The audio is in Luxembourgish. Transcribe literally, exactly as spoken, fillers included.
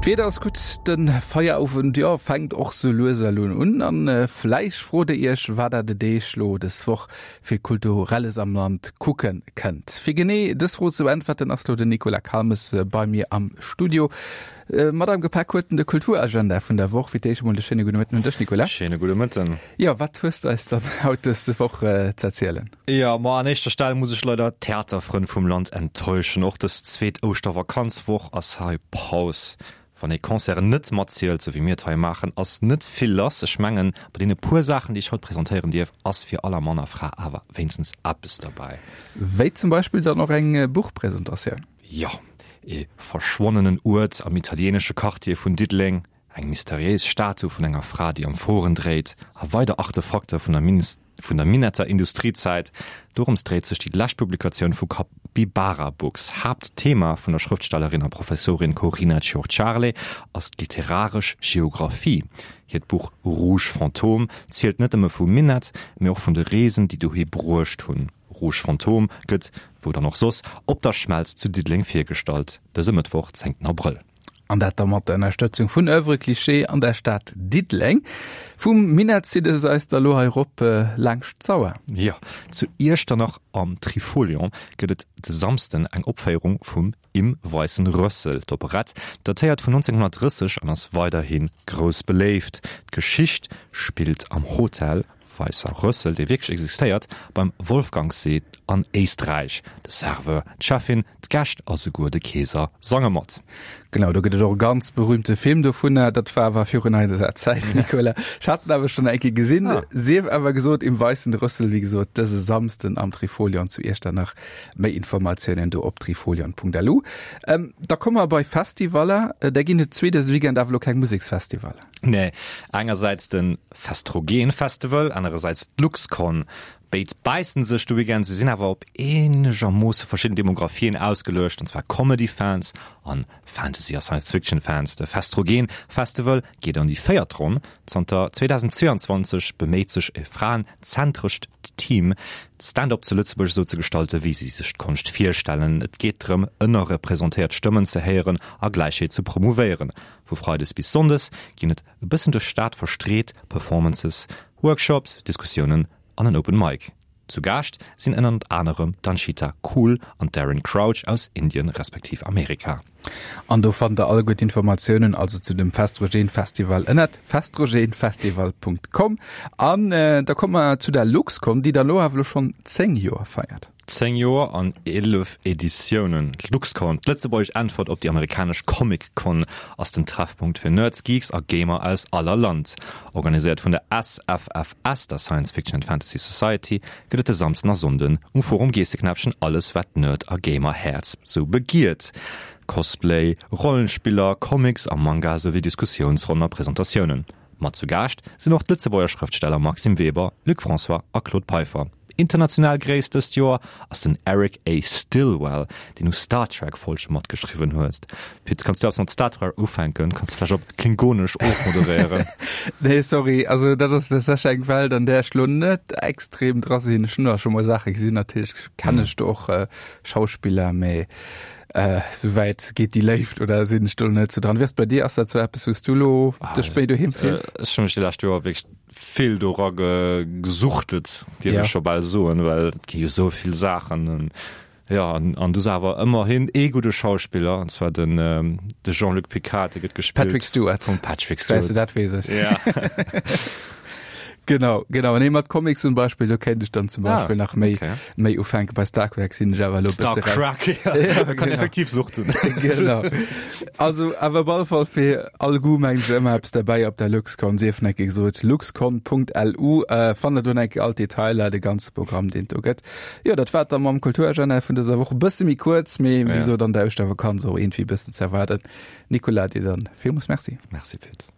D'Wieder ass gutt, de Feierowend, jo, fänkt och sou lues elo un. An vläicht frot der iech, wat der de Deeg lo dës Woch fir Kulturelles am Land kucke kënnt. Fir genee dës Fro ze beäntwerten, ass lo den Nicolas Calmes bei mir am Studio. Mat am Gepäck huet en de Kulturagenda vun der Woch. Fir d'éischt emol de schéine gudde Mëtten un dech, Nicolas. Schéine gudde Mëtten. Jo, wat hues du eis dann haut dës Woch ze erzielen? Jo, ma an éischter Stell muss ech leider d'Theaterfrënn vum Land enttäuschen. Och dës zweet Ouschtervakanzwoch ass hei Paus. Wann ee Concerten net matzielt, sou wéi mir et hei maachen, ass net vill lass. Ech mengen, bei deene puer Saachen, déi ech haut presentéieren dierf, ass fir aller Mann a Fra awer wéinstens eppes derbäi. Wéi zum Beispill dann och eng Buchpresentatioun. Jo, ee verschwonnenen Uert am italieenesche Quartier vun Diddeleng, eng mysteriéis Statu vun enger Fra, déi Amphoren dréit, a weider Artefakter vun der vun der Minetter Industriezäit. Dorëms dréit sech déi lescht Publikatioun vu Capybara Books. Haaptthema vun der Schrëftstellerin a Professorin Corina Ciorciarle ass d'literaresch Geographie. Hiert Buch Rouge Fantôme zielt net nëmme vum Minett, mee och vun de Reesen, déi dohi bruecht hunn. Rouge Fantôme gëtt, wou dann och soss, op der Schmelz zu Diddeleng virgestallt, dëse Mëttwoch, zéngten Abrëll. An dat da mat der Ënnerstëtzung vun Oeuvre Cliché an der Stad Diddeleng. Vum Minett zitt es eis da lo hei rop laangscht d'Sauer. Jo, zu Iechternach am Trifolion gëtt et de Samsden eng Opféierung vum Im weißen Rössel. D'Operett datéiert vun nonzénghonnertdrësseg an ass weiderhi grouss beléift. D'Geschicht spillt am Hotel Weisser Rössel, dee wierklech existéiert, beim Wolfgangsee an Éisträich. De Serveur, d'Cheffin, d'Gäscht a souguer de Keeser sange mat. Genau, do gëtt et och e ganz berühmte Film dovunner. Dat war awer virun eiser Zäit, Nicolas. Ech hat en awer schonn eng Kéier gesinn. Ah. Sief awer gesot, Im Weißen Rössel, wéi gesot, dëse Samsden am Trifolion zu Iechternach. Méi Informatiounen do op trifolion.lu. Ähm, da komme mer bei Festivaller. Da ginn et zwee dëse Weekend, awer elo keng Museksfestivaller. Nee, engersäits de Festrogen Festival, anerersäits d'Luxcon. Béid bäissen sech de Weekend, se sinn awer op eenegermoosse verschidden Demographien ausgeluecht, an zwar Comedy-Fans an Fantasy a Science-Fiction-Fans. De Festrogen Festival geet an déi véiert Ronn. Zanter zweedausendzweeanzwanzeg beméit sech e fraen-zentrescht Team, d'Stand-up zu Lëtzebuerg esou ze gestalten, wéi si sech d'Konscht virstellen. Et geet drëm, ënnerrepresentéiert Stëmmen ze héieren a Gläichheet ze promouvéieren. Vu Freides bis Sonndes ginn et e bëssen duerch d'Stad verstreet Performances, Workshops, Diskussiounen an en Open Mic. Zu Gaascht sinn ënnert anerem d'Anchita Koul an d'Erin Crouch aus Indien respektiv Amerika. An do fannt der alleguer d'Informatiounen also zu dem Festrogen Festival ënnert festrogenfestival Punkt com. An da komme mer zu der LuxCon, déi der elo awer elo schonn zéng Joer feiert. Zéng Joer an eelef Editiounen, D'LuxCon, d'lëtzebuergesch Äntwert op déi amerikanesch Comic Con, ass den Treffpunkt fir Nerds, Geeks a Gamer aus aller Land. Organiséiert vun der S F F S, der Science Fiction and Fantasy Society, gëtt et de Samsden a Sonnden um Forum Geesseknäppchen alles wat d'Nerd a Gamer-Häerz sou begiert, Cosplay, Rollenspiller, Comics a Manga souwéi Diskussiounsronnen a Presentatiounen. Mat zu Gaascht sinn och d'Lëtzebuerger Schrëftsteller Maxime Weber, Luc François a Claude Peiffer. International Gréisst dëst Joer ass den Eric A. Stillwell, deen u Star Trek Folge matgeschriwwen huet. Pit, kanns du eppes mat Star Trek ufänken? Kanns du vläicht op Klingonesch ofmoderéieren? Nee, sorry, also dat ass tatsächlech eng Welt, an där ech lo net extrem dra sinn. Ech hunn da scho mol Saache gesinn, natierlech kennen ech do och Schauspiller, mee souwäit geet déi Léift oder sinn ech do net sou dran. Wéi ass bei dir? Ass dat sou eppes, wou s du lo dech méi doheem fills? Ech hu mech déi lescht Joer wierklech vill dora gesuchtet, dierf ech scho bal soen, well et gi jo sou vill Saachen. Jo, an du awer ëmmerhin ee gudde Schauspiller, an zwar den de Jean-Luc Picard, dee gëtt gespillt Patrick Stewart. Vum Patrick Stewart. Weess de, dat weess ech. Ja. Genau, genau. Nee, mat Comics zum Beispill, do kéint ech dann zum Beispill ah, nach méi, okay. méi ufänken. Bei Star Trek sinn ech awer elo Star bësse raus. Trek, ja. Ja, Man kann genau. effektiv suchten. Genau. Also, awer op alle Fall fir all Goût mengen ech ëmmer eppes derbäi op der LuxCon. Sief nach eng Kéier gesot, luxcon Punkt L U. Äh, fannt der do nach eng Kéier all d'Detailer, de ganze Programm, deen et do gëtt. Jo, dat war et dann mam Kulturagenda vun dëser Woch. E bësse méi kuerz, mee wéi Ja. gesot, an der Ouschtervakanz och iergendwéi e bëssen ze erwaarden. Nicolas, dir dann villmools Merci. Merci, Pit.